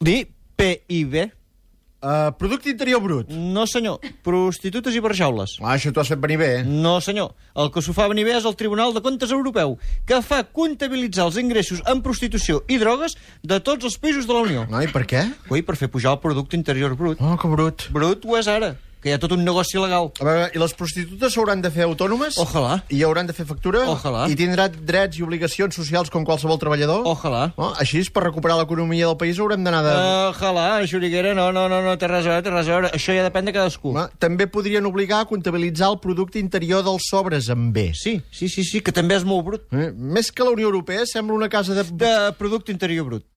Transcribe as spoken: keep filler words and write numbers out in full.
Di P I B. Uh, producte interior brut. No, senyor. Prostitutes i barjaules. Ah, això t'ho has fet venir bé, eh? No, senyor. El que s'ho fa venir bé és el Tribunal de Comptes Europeu, que fa comptabilitzar els ingressos en prostitució i drogues de tots els països de la Unió. No, i per què? Ui, per fer pujar el producte interior brut. Oh, que brut. Brut ho és ara, que hi ha tot un negoci legal. A veure, i les prostitutes s'hauran de fer autònomes? Ojalà. I hauran de fer factura? Ojalà. I tindrà drets i obligacions socials com qualsevol treballador? Ojalà. No? Així, per recuperar l'economia del país, haurem d'anar de... Ojalà, Xuriguera, no, no, no, no, té res a veure, té res a veure. Això ja depèn de cadascú. Home, també podrien obligar a comptabilitzar el producte interior dels sobres amb B. Sí, sí, sí, sí, que també és molt brut. Eh? Més que la Unió Europea, sembla una casa de... De producte interior brut.